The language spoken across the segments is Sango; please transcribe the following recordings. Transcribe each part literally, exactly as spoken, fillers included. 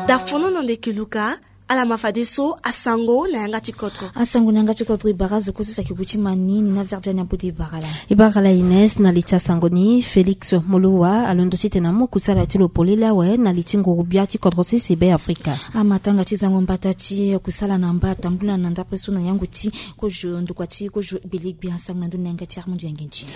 Dafono na ndeke luka. Ala ma fadeso asango na yanga ti kodro. Asango na yanga ti kodro e bara zo kozo saki gu ti mani ni na verdiani abode e bara la. E bara la ines na li ti asango ni Félix Moloua alondo titene amu kusala ti lo polele awe na li ti nguru bia ti kodro sese Be Afrika. Amatanga ti zango mbata ti kusala na mba atambula na ndapre so na yango ti kozo ndokua ti kozo gbelegbia asango na ndoni na yanga ti Armando Yangenji.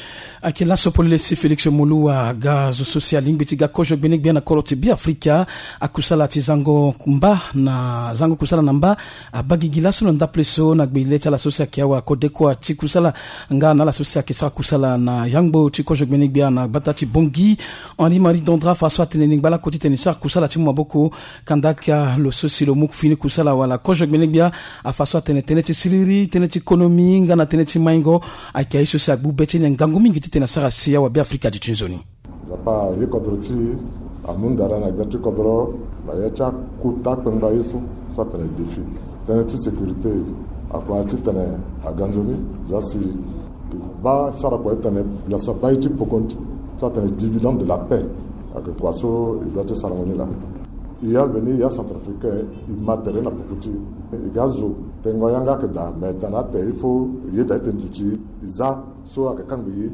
Ayeke laso polele si Félix Moloua aga zo so si alingbi ti ga kozo gbene gbia na kodro ti Be Afrika. Akusala ti zango mba na zango kusala na mba abaa gigi laso na ndapre so na gbe le ti ala so si ayeke awa kodekua ti kusala nga na ala so si ayeke sara kusala na yangbo ti kozo gbene gbia na gbata ti Bangui. Henri Marie Dondra afa so atene ni ngbalako titene e sara kusala ti mu maboko. Kanda aka lo so si lo mu fini kusala wala kozo gbene gbia afa so atene tënë ti siriri, tënë ti konomi nga na tënë ti maingo. Ayeke aye so si agbu be ti ni ngangu mingi titene asara si awa Be Afrika aduti nzoni. Nzapa aye kodro ti e, amu ndara na gbia ti kodro na ya ti akota kpengba ye so. So atene défi tënë ti sécurité akua titene aga nzoni. Za si e baa sara kua titene lo so abaa ye ti poko ni so atene dividende de la paix. Ayeke kua so e doit ti sarango ni laa. E ya mbeni e ya centrafricain, e ma tere na poko ti e. E ga zo tengo yanga ayeke daa me tana ate il faut e yeda ete nduti e za so ayeke kangbi ye.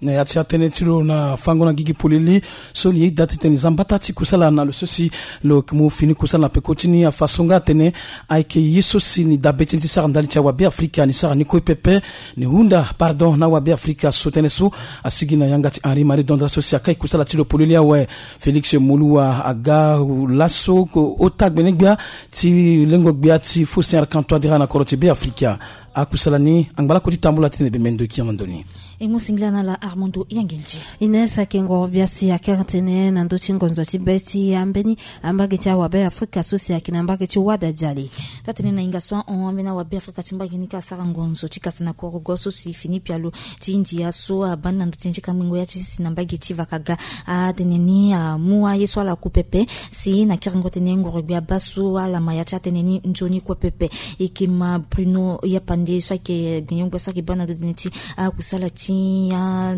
Na ya ti atënë ti lo na fango na gigi polele so li yeda titene e za mbata ti kusala na lo so si lo yeke mu fini kusala na peko ti ni afa so nga atene ayeke ye so si ni daa be ti ni ti sara ndali ti awa Be Afrika ni sara ni kue pepe. Ni hunda pardon na awa Be Afrika so tënë so asigi na yanga ti Henri Marie Dondra so si akai kusala ti lo polele awe. Félix Moloua aga laso ota gbene gbia ti lengo gbia ti Faustin Archange Touadéra na kodro ti Be Afrika. Akusala ni angbalako ti tambula titene bembe ndo e kiri na ndo ni. E mu singila na ala Armando Yangenji. Ines ayeke ngoro bia si akere tënë na ndö ti ngonzo ti be ti ambeni ambage ti awa Be Afrika so si ayeke na mbage ti wada jali. Taa tënë na hinga so ahon ambeni awa Be Afrika ti mbage ni ka asara ngonzo ti kasa na korogo so si fini pialo ti India so abaa ni na ndö ti ni ti kangbingo ya ti sisi na mbage ti vakaga. Atene ni amu aye so ala ku pepe si na kiringo tënë ngoro gbia baa so ala ma ya ti atene ni nzoni kue pepe. E yeke ma Bruno Yapande so ayeke gbenyo-gbia so ayeke baa na ndö tënë ti akusala ti a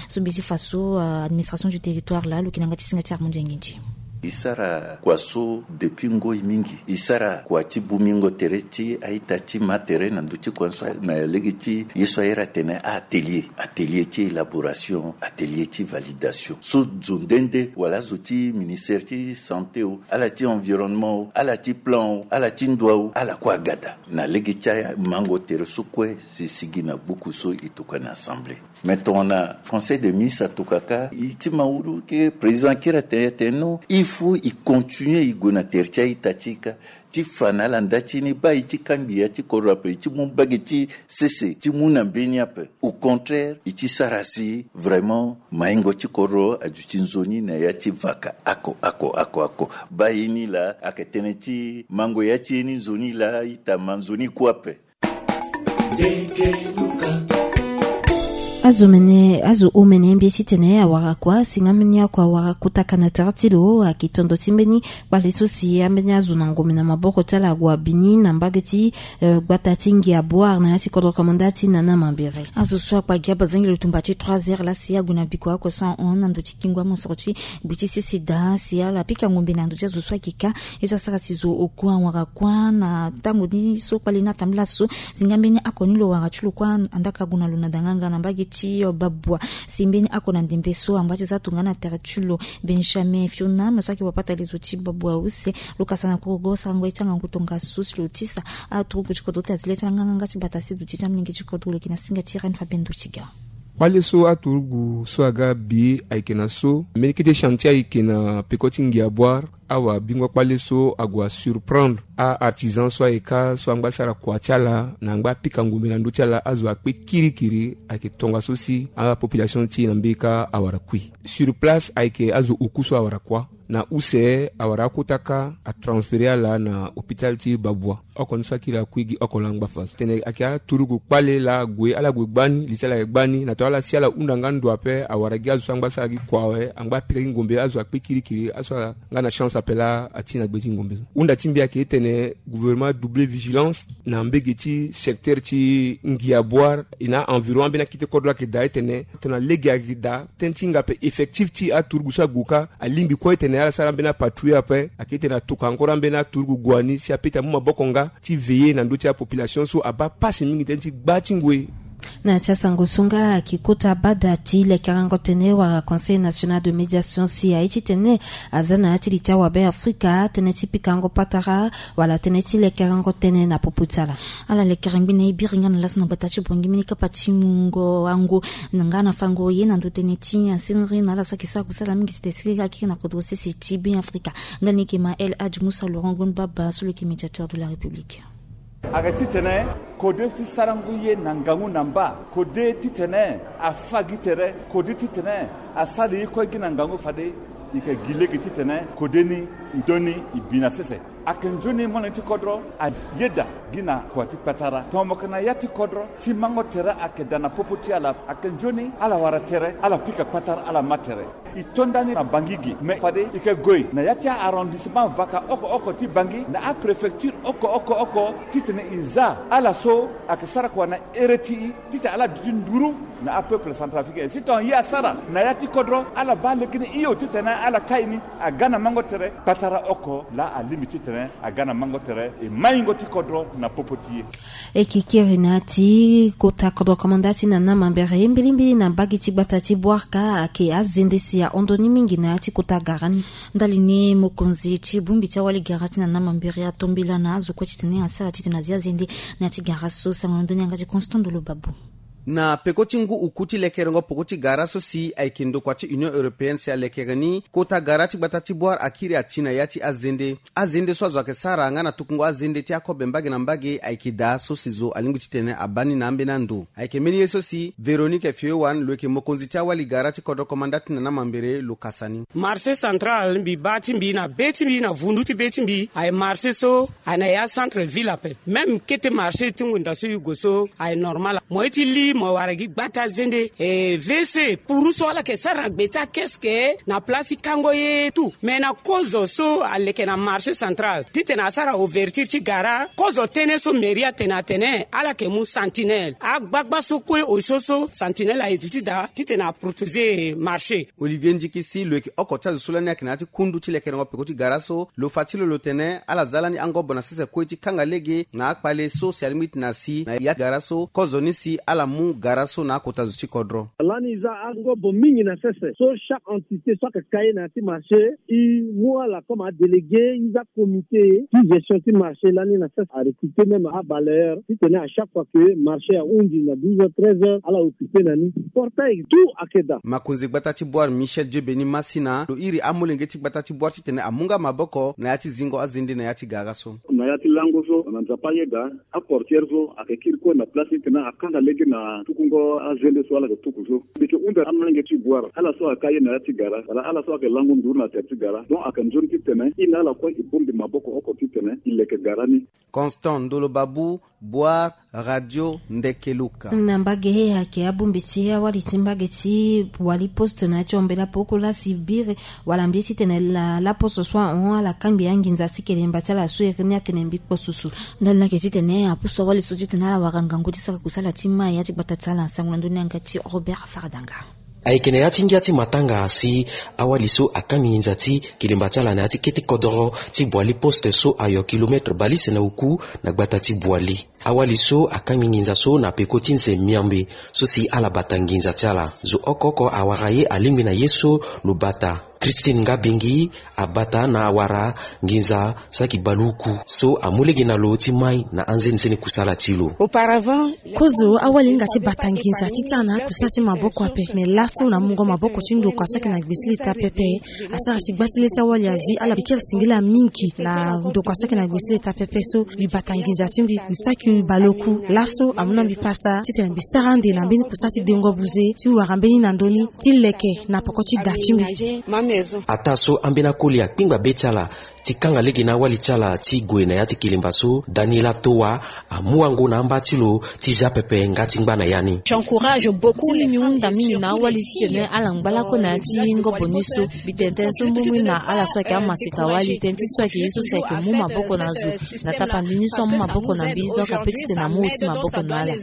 so mbi ti fa so administration du territoire laa lo yeke na yanga ti singa ti Armando Yangenji. E sara kua so depuis ngoi mingi. E sara kua ti bumingo tere ti a-ita ti ma tere na ndö ti kua so na lege ti ye so ayere atene atelier, atelier ti élaboration, atelier ti validation so zo nde nde wala azo ti ministère ti santé o, ala ti environnement o, ala ti plan o, ala ti ndua o, ala kue aga daa na lege ti amango tere so kue si e sigi na gbuku so e tokua na assemblée. Mais tongana conseil des ministres atokua kâ, e ti ma wuru ke président akiri atene, atene non, il faut e continuer e gue na tere ti a-ita ti e kâ ti fa na ala nda ti ni baa e ti kangbi ya ti kodro ape, e ti mu mbage ti sese ti mu na mbeni ape. Au contraire, e ti sara si vraiment maingo ti kodro aduti nzoni na ya ti vaka oko oko oko oko. Baa ye ni laa ayeke tënë ti mango ya ti ye ni nzoni laa, ita ma nzoni kue ape. Azo mene, azo omene mbie titene awara kua si nga mbeni oko awara kutaka na tere ti lo ayeke tondo ti mbeni kpale so si ambeni azo na ngombe na maboko ti ala ague abi ni na mbage ti gbata ti Ngia Boire na ya ti kodro kamanda ti Nana Mambere. Azo so akpa gi abazangi lo tumba ti trois heures laa si ague na bikua oko so ahon na ndo ti kingo amosoro ti gbe ti sese daa si ala pika ngombe na ndo ti azo so ayeke kâ. Ye so asara si zo oku awara kua na tango ni so kpale ni atambula so. Si nga mbeni oko ni lo wara ti lo kue andaka gue na lo na danganga na mbage ti babua. Si mbeni oko na ndembe so angba ti za tongana tere ti lo Benjamin Fiona me so ayeke wapata lezo ti babua use. Lo kasa na korogo sarango ye ti angangu tongaso si lo tisa aturugu ti kodro ti azi le ti ala nganganga ti bata si duti ti amolenge ti kodro lo yeke na singa ti Reine Fabienne Dotiga. Kpale so aturugu so aga bi ayeke na so mbeni kete chantier ayeke na peko ti Ngia Boire. Awa bingo kpale so ague asurprendre a-artisan so ayeke kâ so angba asara kua ti ala na angba apika ngombe na ndö ti ala azo akpe kirikiri. Ayeke tongaso si apopulation ti e na mbeni kâ awara kui. Sur place ayeke azo oku so awara kua. Na use awara akota kâ atransféré ala na hôpital ti Babua. Oko ni so akiri akui gi oko laa angba fa so tene ayeke aturugu kpale laa ague ala gue gbani li ti ala ayeke gbani na tonga ala si ala hunda nga ndo ape awara gi azo so angba asara gi kua awe angba apika gi ngombe azo akpe kirikiri aso ala nga na chance. Apela ati na gbe ti ngombe so hunda ti mbi ayeke tene gouvernement double vigilance na mbege ti secteur ti ngia boire e na environ ambeni akete kodro ayeke daa etene tongana lege ayeke daa tënë ti hinga ape effectif ti aturugu so ague kâ alingbi kue etene ala sara ambeni apatrouille ape ayeke tene atoka encore ambeni aturugu gue ni si ape ti amu maboko nga ti veiller na ndö ti apopulation so abaa pasi mingi tënë ti gba ti ngoi. Na ya ti asango so nga ayeke kota bada ti lekerengo tene wala Conseil National de Médiation si aye titene aza na ya ti li ti awabe Afrika tënë ti pikango patara wala tënë ti lekerengo tënë na popo ti ala. Ala lekere ngbi na e biri nga na laso na gbata ti Bangui mbeni kapa ti mungo wango na nga na fango ye na ndo tënë ti asengiri na ala so ayeke sara kusala mingi ti tene siriri akiri na kodro sese ti Beafrika. Nga ni yeke ma El Hadj Moussa Laurent Gon Baba so lo yeke médiateur de la République. Ayeke titene kode ti sarango ye na ngangu na mba, kode titene afa gi tere, kode titene asara ye kue gi na ngangu fade e yeke gi lege titene kode ni e doni e bi na sese. Ayeke nzoni molenge ti kodro ayeda gi na kua ti patara tongana mo yeke na ya ti kodro si mango tere ayeke daa na popo ti ala, ayeke nzoni ala wara tere, ala pika patara, ala ma tere. E to ndani na Bangui gi me fade e yeke gue na ya ti a-arrondissement vaka oko oko ti Bangui na apréfecture oko oko oko titene e za ala so ayeke sara kua na here ti e titene ala duti nduru na apeuple centrafricain. Si tongana ye asara na ya ti kodro ala baa lege ni hio titene ala kai ni aga na mango tere patara oko laa alingbi titene aga na mango tere e maingo ti kodro na popo ti e. E yeke kiri na ya ti kota kodro komanda ti Nana Mambere mbilimbili na mbage ti gbata ti Bouarka ayeke azende si ahon ndoni mingi na ya ti kota gara ni. Ndali ni mokonzi ti bongbi ti awali gara ti Nana Mambere ato mbela na azo kue titene asara titene azia azende na ya ti gara so. Sango na ndoni yanga ti Constant Ndolo Babu. Na peko ti ngu oku ti lekerengo peko ti gara so si ayeke ndokua ti Union Européenne si alekere ni, kota gara ti gbata ti Bouar akiri ati na ya ti azende. Azende so azo ayeke sara nga na tukungo azende ti akobe mbage na mbage ayeke daa so si zo alingbi titene abaa ni na ambeni ando. Ayeke mbeni ye so si Véronique Fiowan lo yeke mokonzi ti awali gara ti kodro komanda ti Nana Mambere lo kasa ni. Marché central mbi baa ti mbi na be ti mbi na vundu ti be ti mbi aye marché so aye na ya centre ville ape. Même kete marché ti ngonda so e gue so aye normal. Mo ye ti li mo wara gi gbata zende e V C puru so ala yeke sara na gbe ti akeske na place ti kango ye tout. Mais na kozo so aleke na marché central titene asara ouverture ti gara, kozo tënë so mairie atene atene ala yeke mu sentinelle. Agbagba so kue osio so sentinelle aye duti daa titene aprotéger marché. Olivier Ndikisi lo yeke oko ti azo so lani ayeke na ya ti kundu ti lekerengo peko ti gara so, lo fa ti lo lo tene ala za lani angobo na sese kue ti kanga lege na akpale so si alingbi ti na si na ya gara so, kozoni si ala mu gara so na akota zo ti kodro. Lani e za angobo mingi na sese so chaque entité so ayeke ka ye na ya ti marché e mu ala comme adélégué, e za comité ti gestion ti marché lani na sese arecruter même abalayeur titene à chaque fois que marché ahunzi na douze heures, treize heures, ala occuper na ni. Portail tout ayeke daa. Makonzi gbata ti Bouar Michel Dieu Beni Masina lo iri amolenge ti gbata ti Bouar titene amu nga maboko na ya ti zingo azende na ya ti gara so. Na ya ti lango so na Nzapa ayeda aportière so ayeke kiri kue na place titene akanga lege na tukungo azende so ala yeke tuku so. Mbi yeke hunda amolenge ti Bouar, ala so aka ye na ya ti gara wala ala so ayeke lango nduru na tere ti gara, donc ayeke nzoni titene e na ala kue e bongbi maboko oko titene e leke gara ni. Constant Ndolo Babu, Bouar, Radio Ndekeluka. Na mbage ayeke abongbi ti awali ti mbage ti Bouali Poste na ya ti ombela poko lasi biri wala mbi ye titene la, laposo so ahon ala kangbi anginza ti kelemba ti ala so iri ni atene mbi kpo susu. Ndali ni ayeke titene apusu awali so titene ala wara ngangu ti sara kusala ti mai ya ti gbata ti ala. Sango na ndö ni yanga ti Robert Fardanga. Ayeke na ya ti ngia ti matanga si awali so akangbi nginza ti kelemba ti ala na ya ti kete kodoro ti Bouali Poste so ayo kilomètre bale use na oku na gbata ti Bouali. Awali so akangbi nginza so na peko ti nze miambe so si ala bata nginza ti ala. Zo oko oko awara ye alingbi na ye so lo bata. Christine Ngabingi abata na awara nginza saki bale uku so amu lege na lo ti mai na anzenizeni kusala ti lo. Auparavant, kozo awali hinga ti bata nginza ti sara na akusala ti maboko ape. Me laso na mungo maboko ti ndokua so ayeke na gbesi leta pepe, asara si gba ti le ti awali azi ala bikiri singila mingi na ndokua so ayeke na gbesi leta pepe so. Mbi bata nginza ti mbi, mbi saki bale oku. Laso amu na mbi pasa titene mbi sara ande na mbeni kusala ti dengo buze ti wara mbeni na ndö ni ti leke na peko ti da ti mbi. Ataa so ambeni akoli akpingba be ti ala Ti kanga lege na awali ti ala ti gue na ya ti kelemba so, Daniela Towa amu wango na amba ti lo ti zia pepe nga ti ngba na ya ni. J'encourage beaucoup. Ti mbi mbi hunda mingi na awali titene ala ngba lakue na ya ti ngobo ni so. Mbi tene tënë so mbi mu na ala so ayeke amaseka wali, tënë ti so ayeke ye so si ayeke mu maboko na zo na tapandi ni so amu maboko na mbi, donc ape titene amu aussi maboko na ala.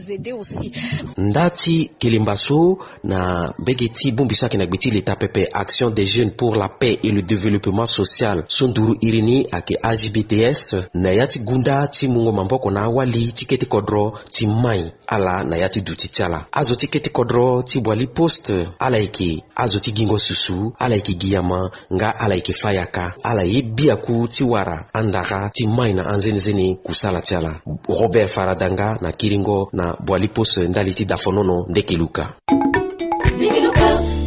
Nda ti kelemba so, na mbege ti bongbi so ayeke na gbe ti leta pepe, Action des Jeunes pour la Paix et le Développement Social, so nduru iri ni ayeke A J B T S, na ya ti gunda ti mungo maboko na awali ti kete kodro ti mai ala na ya ti duti ti ala. Azo ti kete kodro ti Boali Poste, ala yeke azo ti gingo susu, ala yeke gi yama, nga ala yeke fâ yaka, ala ye biaku ti wara andara ti mai na anzenezene kusala ti ala. Robert Faradanga na kiringo na Boali Poste ndali ti dafonono ndeke luka.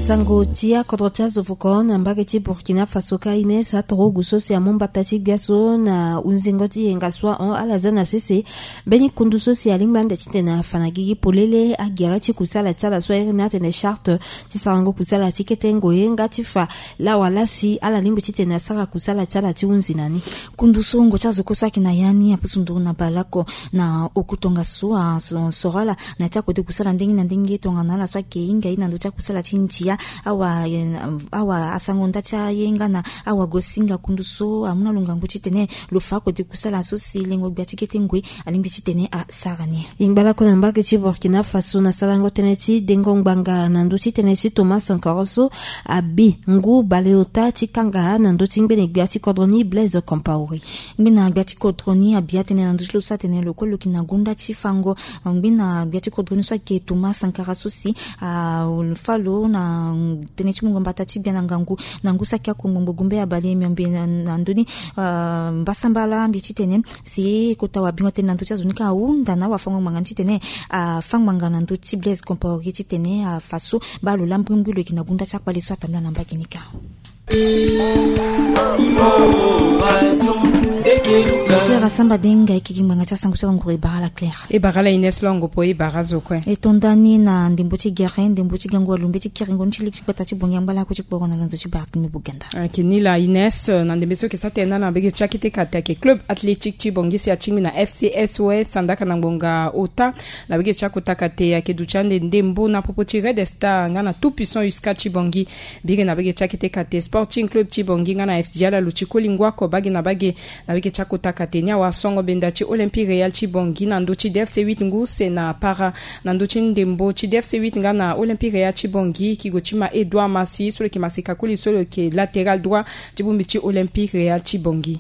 Sango ti akodro ti azo voko na mbage ti Burkina Faso ka Ines Atorogu so si amu mbata ti gbia so na hunzingo ti yenga so ahon ala za na sese. Mbeni kundu so si alingbi ande titene afa na gigi polele agere ti kusala ti ala so ayeke na atene charte ti sarango kusala ti kete ngoi nga ti fa lawa laa si ala lingbi titene asara kusala ti ala ti hunzi na ni. Kundu so ngo ti azo kue so ayeke na ya ni apusu nduru na baleoko na oku tongaso asoro ala na ya ti akode kusala ndenge na ndenge tongana ala so ayeke hinga ye na ndö ti akusala ti ndia. Awa, eh, awa asango nda ti aye nga na awagosinga kundu so amu na lo ngangu titene lo fa akode kusala so si lengo gbia ti kete ngoi alingbi titene asara ni. E ngba lakue na mbage ti Burkina Faso na sarango tënë ti dengo ngbanga na ndö ti tënë ti Thomas Sankara so abi ngu baleota ti kanga na ndö ti ngbene gbia ti kodro ni Blaise Compaoré. Ngbene gbia ti kodro ni abi atënë na ndö ti lo so atene lo kue lo yeke na gonda ti fango. Ngbene gbia ti kodro ni so ayeke Thomas Sankara so si afa lo na tënë ti mungo mbata ti gbia na ngangu na ngu saki akongbongbo gumbe abale miombe na, na ndö ni, ah, mbasambala mbi titene si kota wabingo atene na ndö ti azo ni ka ahunda na awafango ngbanga ni titene afa ngbanga na ndö ti Blaise Compaoré titene afa so baa lo laa mbrimbri lo yeke na gonda ti akpale so atambula na mbage ni ka. Claire Asamba Denga ayeke gi ngbanga ti asango so anguru e bara ala Claire. E bara ala Ines Longo po e bara azo kue. E to nda ni na ndembo ti gere ndembo ti gango alumbe ti kiringo ni ti lege ti gbata ti Bongi angba lakue ti kporo na londo ti Barthélemy Boganda. Ayeke ni laa Ines, na ndembe so yeke sara tënë na mbage ti akete kate ayeke Club Athlétique ti Bongi si atingbi na F C S O S andaka na ngbonga ota. Na mbage ti akota kate ayeke duti ande ndembo na popo ti Red Star nga na Tout Puissant Usca ti Bongi. Biri na mbage ti akete kate Sporting Club ti Bongi nga na F C G Alalu ti Kolingua oko bage na bage. Na mbage ti akota kate ni awara songo benda ti Olympique Real ti Bongi na ndö ti D F C huit ngu use na para na ndö ti ndembo ti D F C huit nga na Olympique Real ti Bongi. Kigo ti ma Edouard Massi so lo yeke maseka koli so lo yeke latéral droit ti bongbi ti Olympique Real ti Bongi.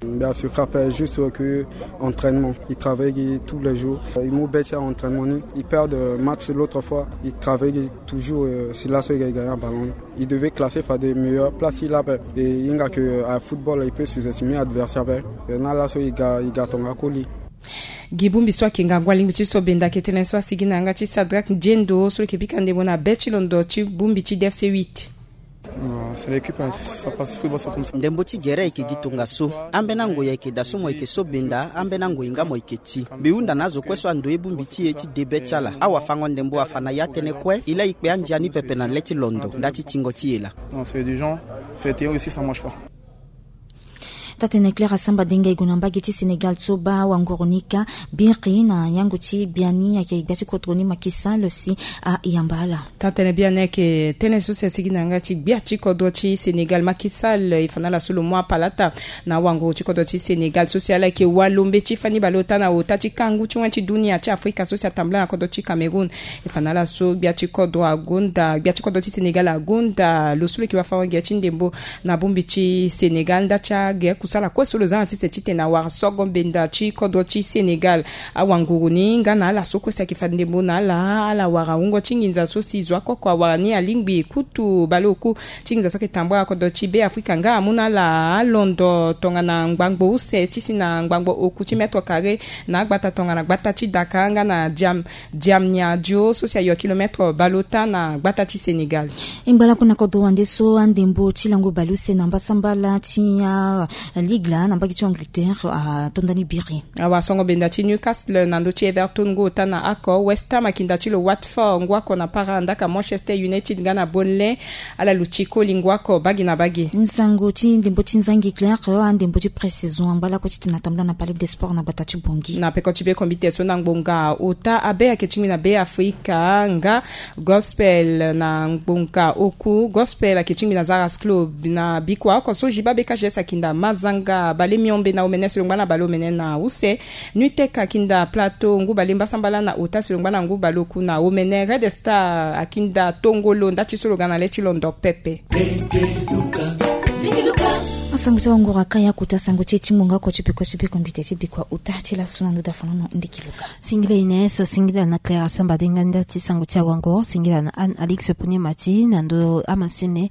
Bien sûr, rappelle juste que entraînement. Ils travaillent tous les jours. Ils m'ont bêté à entraînement. Ils perdent match l'autre fois. Ils travaillent toujours, euh, c'est là ça ils gagnent un ballon. Ils devaient classer faire des meilleures places. Il a, et il y a que à football, il peut sous-estimer adversaire. Et là, là, ça, il gagne, il gagne ton colis. Gi bongbi so ayeke ngangu alingbi ti so benda ayeke tënë so asigi na yanga ti Sadrak Diendo so lo yeke bika ndembo na be ti londo ti bongbi ti D F C huit. Non, c'est l'équipe, hein. Ça passe, football, c'est comme ça. Ndembo ti gere ayeke gi tongaso. Ambeni angoi ayeke daa so mo yeke so benda, ambeni angoi nga mo yeke ti. Mbi hunda na azo kue so andoye bongbi ti e ti de be ti ala. Awafango ndembo afa na ya tënë kue, e laa e kpe andia ni pepe na le ti londo nda ti tingo ti e laa. Non, c'est du genre, c'est aussi, ça marche pas. Taa-tënë Claire Asamba Denga e gue na mbage ti Sénégal so baa wanguru ni ka biri na yango ti biani ayeke gbia ti kodro ni Macky Sall si ayamba ala. Taa-tënë biani ayeke tënë so si asigi na yanga ti gbia ti kodro ti Sénégal Macky Sall, e fa na ala so lo mu apalata na awanguru ti kodro ti Sénégal so si ala yeke walombe ti fani baleota na ota ti kangu ti wen ti dunia ti Afrika so si atambula na kodro ti Cameroun. E fa na ala so gbia ti kodro agonda, gbia ti kodro ti Sénégal agonda lo so lo yeke wafango-gere ti ndembo na bongbi ti Sénégal nda ti agere kusala kue so lo za na sese titene awara sogo mbenda ti kodro ti Sénégal. Awanguru ni nga na ala so kue si ayeke fa ndembo na ala, ala wara wungo ti nginza so si zo oko oko awara ni alingbi kutu baleoku ti nginza so ayeke tambula kodro ti Be Afrika nga amu na ala alondo tongana ngbangbo use ti si na ngbangbo oku ti mètre carré na agbata tongana gbata ti Dakar nga na Diam, Diamniadio so si ayo kilomètre baleota na gbata ti Sénégal. E ngba lakue na kodro wande so andembo ti lango baleuse na mbasambala ti a Ligue la na mbage ti Angleterre atonda ni biri. Awasongo benda ti Newcastle na ndö ti Everton ngu ota na ako. West Ham akinda ti lo Watford ngu ako na para ndaka Manchester United nga na Burnley. Ala luti koli ngu ako bagi na bagi. Nsango ti ndembo ti nzangi claire, andembo ti pré-saison angba lakue ti tena tambula na Palais des Sports na bata ti Bongi. Na peko ti be kombite so na ngbonga ota abe ake ti ngbi na be Afrika nga Gospel na ngbonga oku. Gospel ake ti ngbi na Zaras Club na bikua oko so Jiba B K G S akinda mazanga bale miombe na omene si lo ngba na bale omene na use. Nuitech akinda Plateau ngu bale mbasambala na ota si lo ngba na ngu bale oku na omene. Red Star akinda tongolo nda ti so lo ga na le ti londo pepe. Asango ti awangoro aka ya kota sango ti e ti ngbonga oko ti peko ti be kombite ti bikua ota ti laso na ndo dafanono ndiki luka. Singila Ines, singila na Clara Samba Denga nda ti sango ti awangoro, singila na Anne Alix Pune Mati na ndo amasene.